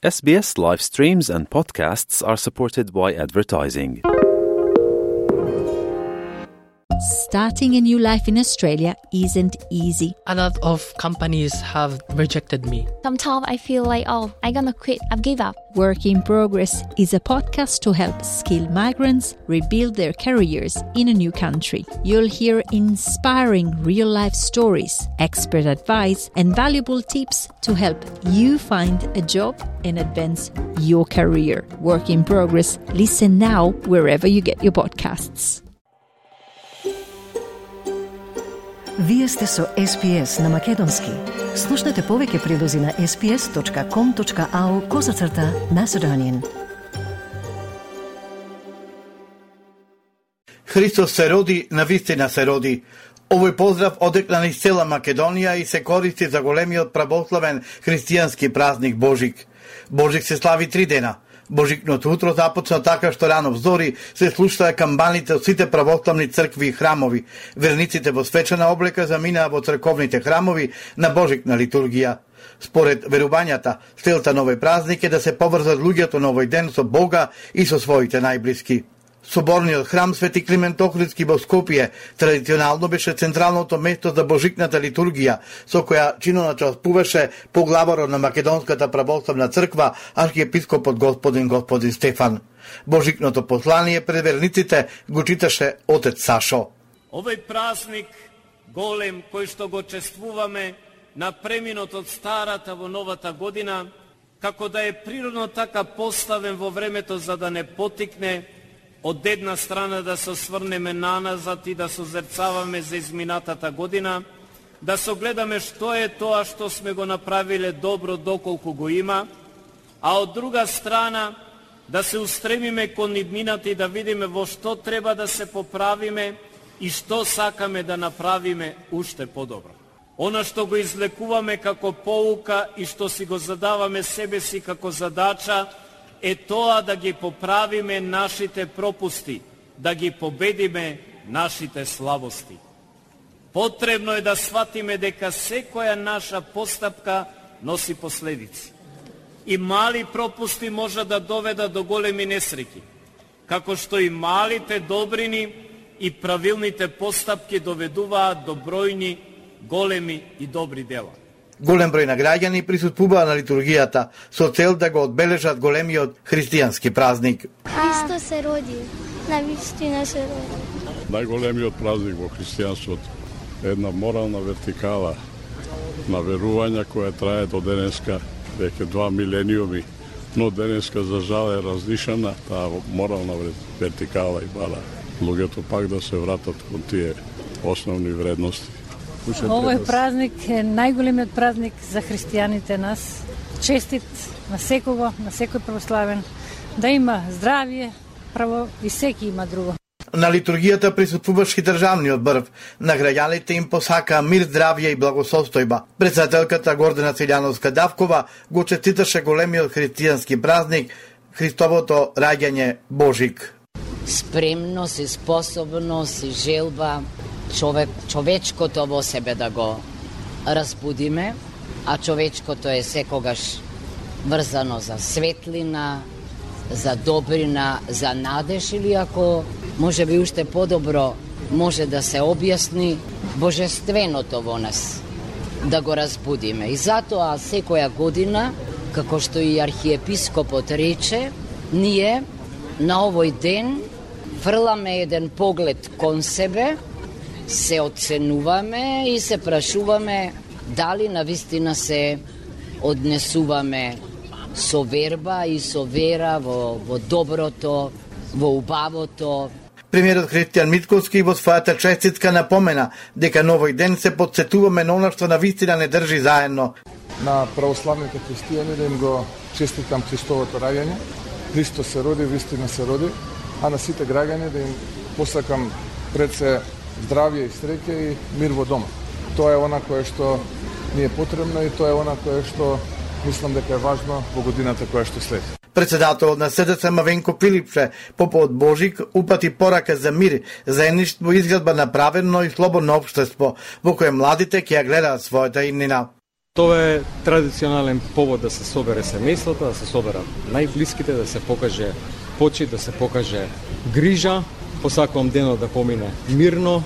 SBS live streams and podcasts are supported by advertising. Starting a new life in Australia isn't easy. A lot of companies have rejected me. Sometimes I feel like, I'm gonna quit, I've give up. Work in Progress is a podcast to help skilled migrants rebuild their careers in a new country. You'll hear inspiring real-life stories, expert advice, and valuable tips to help you find a job and advance your career. Work in Progress. Listen now wherever you get your podcasts. Вие сте со SPS на Македонски. Слушнете повеќе прилози на sps.com.au/Macedonian. Христос се роди, навистина се роди. Овој поздрав одекна низ цела Македонија и се користи за големиот православен христијански празник Божик. Божик се слави 3 дена. Божикното утро започна така што рано взори се слушаа камбаните од сите православни цркви и храмови. Верниците во свечена облека заминаа во црковните храмови на Божикна литургија. Според верувањата, целта на овој празник е да се поврзат луѓето на овој ден со Бога и со своите најблиски. Соборниот храм Свети Климент Охридски во Скопје традиционално беше централното место за Божикната литургија, со која чиноначествуваше поглаварот на Македонската православна црква, архиепископот господин Стефан. Божикното послание пред верниците го читаше отец Сашо. Овој празник голем кој што го чествуваме на преминот од старата во новата година, како да е природно така поставен во времето за да не потикне од една страна да се осврнеме наназад и да созерцаваме за изминатата година, да согледаме што е тоа што сме го направиле добро доколку го има, а од друга страна да се устремиме кон иднината и да видиме во што треба да се поправиме и што сакаме да направиме уште подобро. Она што го излекуваме како поука и што си го задаваме себе си како задача е тоа да ги поправиме нашите пропусти, да ги победиме нашите слабости. Потребно е да сватиме дека секоја наша постапка носи последици. И мали пропусти може да доведат до големи несреќи, како што и малите добрини и правилните постапки доведуваат до бројни, големи и добри дела. Голем број на граѓани присуствуваа на литургијата со цел да го одбележат големиот христијански празник. Христос се роди, навистина се роди. Најголемиот празник во христијанството е една морална вертикала на верувања која трае до денеска веќе 2 милениуми, но денеска за жал е разнишана таа морална вертикала и бара луѓето пак да се вратат кон тие основни вредности. Овој празник е најголемиот празник за христијаните нас. Честит на секого, на секој православен, да има здравје, право и секи има друго. На литургијата присуствуваше државниот брв. На граѓаните им посака мир, здравје и благосостојба. Председателката Гордана Силјановска-Давкова го честиташе големиот христијански празник, Христовото раѓање Божик. Спремност и способност и желба човечкото во себе да го разбудиме, а човечкото е секогаш врзано за светлина, за добрина, за надеж или ако може би уште подобро може да се објасни божественото во нас, да го разбудиме. И затоа секоја година, како што и архиепископот рече, ние на овој ден фрламе еден поглед кон себе, се оценуваме и се прашуваме дали навистина се однесуваме со верба и со вера во доброто, во убавото. Премиерот Христијан Митковски во својата честитка напомена дека на овој ден се потсетуваме на она што навистина не држи заедно. На православните христијани да им го честитам Христовото раѓање. Христос се роди, вистина се роди, а на сите граѓани да им посакам пред се здравје и среќа и мир во дома. Тоа е она кое што ни е потребно и тоа е она кое што мислам дека е важно во годината која што следи. Председателот на СДС Мавенко Филипше, попот Божик, упати порака за мир, заедништво и изградба на праведно и слободно општество, во кое младите ќе ја гледаат својата иднина. Тоа е традиционален повод да се собере семејството, да се соберат најблиските, да се покаже почит, да се покаже грижа. Посакувам денот да помине мирно,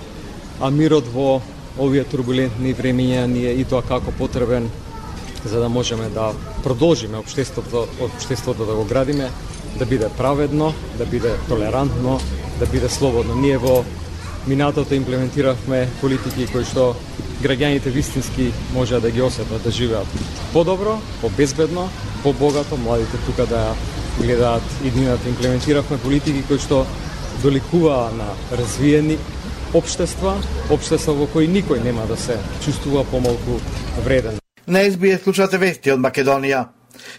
а мирот во овие турбулентни времиња ни е и тоа како потребен за да можеме да продолжиме општеството да го градиме, да биде праведно, да биде толерантно, да биде слободно. Ние во минатото имплементиравме политики кои што граѓаните вистински можеа да ги осетат, да живеат подобро, побезбедно, побогато, младите тука да гледаат иднината. Имплементиравме политики кои што доликуваа на развиени општества во кои никој нема да се чувствува помалку вреден. На СБС слушате вести од Македонија.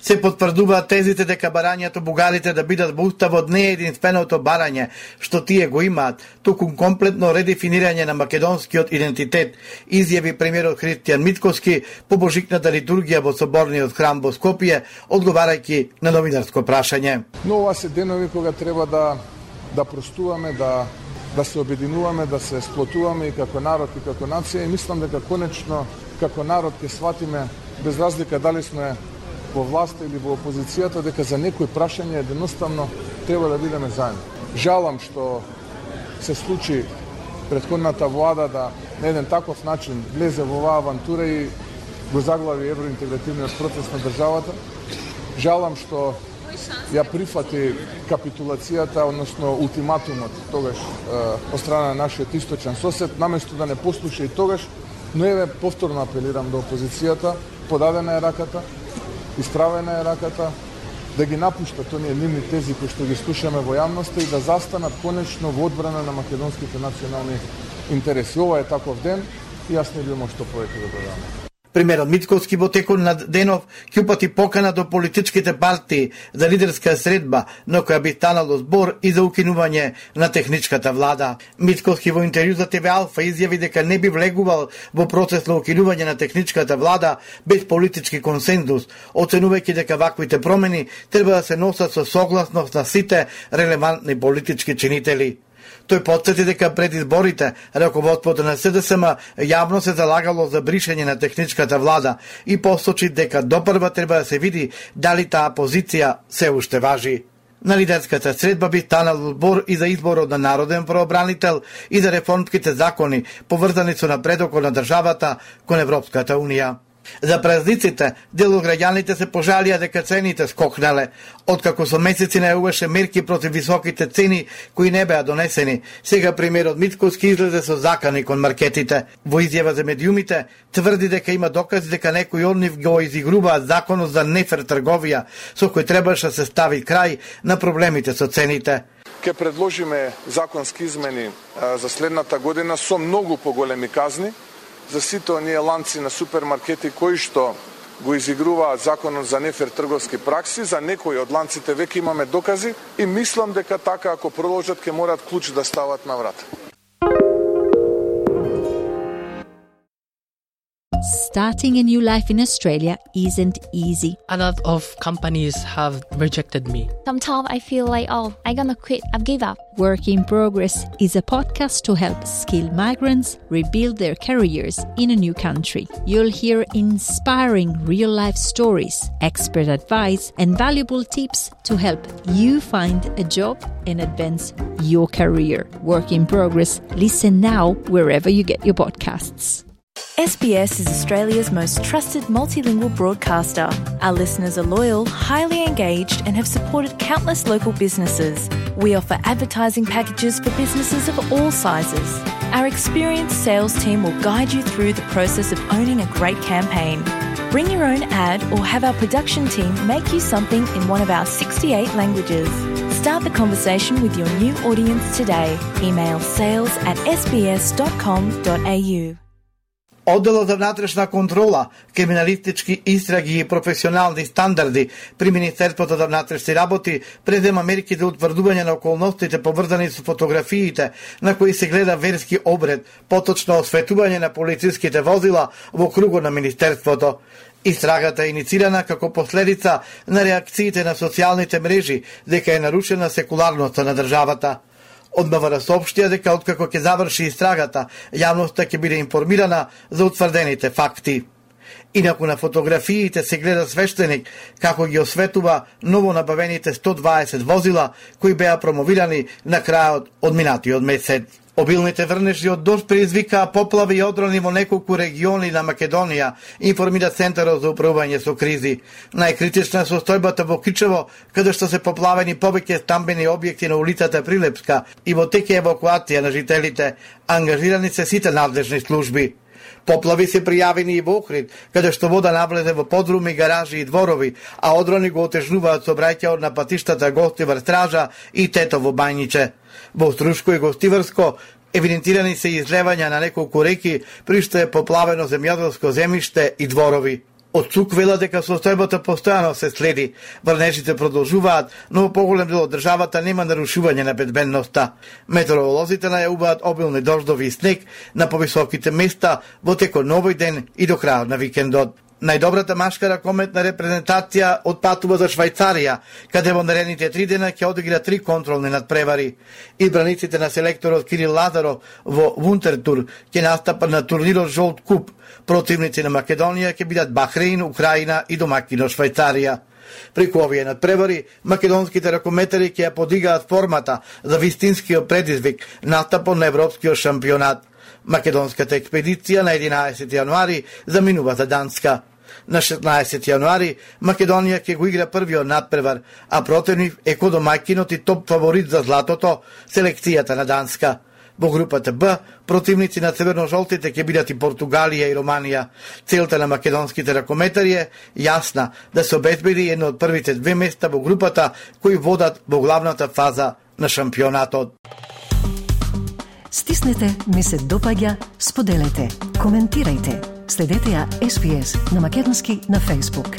Се потврдуваат тезите дека барањето бугарите да бидат во уставот не е единственото барање што тие го имаат, туку комплетно редефинирање на македонскиот идентитет, изјави премиерот Христијан Мицкоски по божикната литургија во соборниот храм во Скопје, одговарајќи на новинарско прашање. Но ова се денови кога треба да простуваме, да се обединуваме, да се сплотуваме и како народ и како нација, и мислам дека конечно како народ ќе сватиме, без разлика дали сме во власта или во опозицијата, дека за некои прашања едноставно треба да бидеме заедно. Жалам што се случи претходната влада да на еден таков начин влезе во оваа авантура и го заглави евроинтегративниот процес на државата. Жалам што ја прифати капитулацијата, односно ултиматумот тогаш од страна на нашиот источен сосед, наместо да не послуша и тогаш. Но еве повторно апелирам до опозицијата, подадена е раката, исправена е раката, да ги напуштат оние нивни тези кои што ги слушаме во јавноста и да застанат конечно во одбрана на македонските национални интереси. Ова е таков ден и јас не би имал што повеќе да додам. Премиерот Мицкоски во текот на денов ќе упати покана до политичките партии за лидерска средба, на која би станало збор и за укинување на техничката влада. Мицкоски во интервју за ТВ Алфа изјави дека не би влегувал во процес на укинување на техничката влада без политички консензус, оценувајќи дека ваквите промени треба да се носат со согласност на сите релевантни политички чинители. Тој потсети дека пред изборите раководството на СДСМ јавно се залагало за бришење на техничката влада и посочи дека допрва треба да се види дали таа позиција се уште важи. На лидерската средба би станал збор и за изборот на народен правобранител и за реформските закони поврзани со напредокот на државата кон Европската унија. За празниците, дел од граѓаните се пожалија дека цените скокнале, откако со месеци најавуваше мерки против високите цени кои не беа донесени. Сега премиерот Мицкоски излезе со закани кон маркетите. Во изјава за медиумите тврди дека има докази дека некои од нив го изигруваат законот за нефер трговија, со кој требаше да се стави крај на проблемите со цените. Ке предложиме законски измени за следната година со многу поголеми казни за сите оние ланци на супермаркети кои што го изигруваат законот за нефер трговски пракси. За некои од ланците веќе имаме докази и мислам дека така ако продолжат ќе морат клуч да стават на врата. Starting a new life in Australia isn't easy. A lot of companies have rejected me. Sometimes I feel like, I'm gonna quit, I've give up. Work in Progress is a podcast to help skilled migrants rebuild their careers in a new country. You'll hear inspiring real-life stories, expert advice, and valuable tips to help you find a job and advance your career. Work in Progress. Listen now wherever you get your podcasts. SBS is Australia's most trusted multilingual broadcaster. Our listeners are loyal, highly engaged, and have supported countless local businesses. We offer advertising packages for businesses of all sizes. Our experienced sales team will guide you through the process of owning a great campaign. Bring your own ad or have our production team make you something in one of our 68 languages. Start the conversation with your new audience today. Email sales@sbs.com.au. Одделот за внатрешна контрола, криминалистички истраги и професионални стандарди при Министерството за внатрешни работи презема мерки за утврдување на околностите поврзани со фотографиите на кои се гледа верски обред, поточно осветување на полициските возила во кругот на Министерството. Истрагата е иницирана како последица на реакциите на социјалните мрежи дека е нарушена секуларноста на државата. Од МВР соопштија дека откако ќе заврши истрагата, јавноста ќе биде информирана за утврдените факти. Инаку на фотографиите се гледа свештеник како ги осветува ново набавените 120 возила кои беа промовирани на крајот од минатиот месец. Обилните врнежи од дожд предизвикаа поплави и одрони во неколку региони на Македонија, информира Центарот за управување со кризи. Најкритична е состојбата во Кичево, каде што се поплавени повеќе стамбени објекти на улицата Прилепска и во тек е евакуација на жителите. Ангажирани се сите надлежни служби. Поплави се пријавени и во Охрид, каде што вода навлезе во подруми, гаражи и дворови, а одрони го отежнуваат сообраќајот на патиштата Гостивар Стража и Тетово Бајниче. Во Струшко и Гостиварско евидентирани се излевања на неколку реки, при што е поплавено земјоделско земјиште и дворови. Од ЦУК вела дека состојбата постојано се следи. Врнежите продолжуваат, но во поголем дел од државата нема нарушување на безбедноста. Метеоролозите најавуваат обилни дождови и снег на повисоките места во текот на овој ден и до крајот на викендот. Најдобрата машка ракометна репрезентација отпатува за Швајцарија, каде во наредните 3 дена ќе одигра 3 контролни надпревари. Избраниците на селекторот Кирил Лазаров во Вунтертур ќе настапат на турнирот Жолт куп. Противници на Македонија ќе бидат Бахреин, Украина и домакино Швајцарија. Преку овие надпревари, македонските ракометари ќе ја подигаат формата за вистинскиот предизвик, настапот на европскиот шампионат. Македонската експедиција на 11 јануари заминува за Данска. На 16 јануари Македонија ќе го игра првиот надпревар, а противник е домаќинот и топ фаворит за златото, селекцијата на Данска. Во групата Б, противници на црвено-жолтите ќе бидат и Португалија и Романија. Целта на македонските ракометари е јасна, да се обезбеди едно од првите 2 места во групата кои водат во главната фаза на шампионатот. Стиснете, ми се допаѓа, споделете, коментирајте. Следете ја SPS на македонски на Facebook.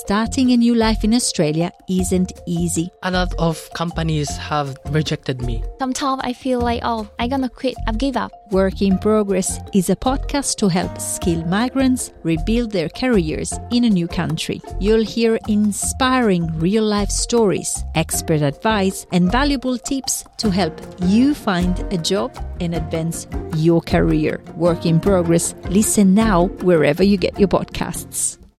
Starting a new life in Australia isn't easy. A lot of companies have rejected me. Sometimes I feel like, I'm gonna quit, I've give up. Work in Progress is a podcast to help skilled migrants rebuild their careers in a new country. You'll hear inspiring real-life stories, expert advice, and valuable tips to help you find a job and advance your career. Work in Progress. Listen now wherever you get your podcasts.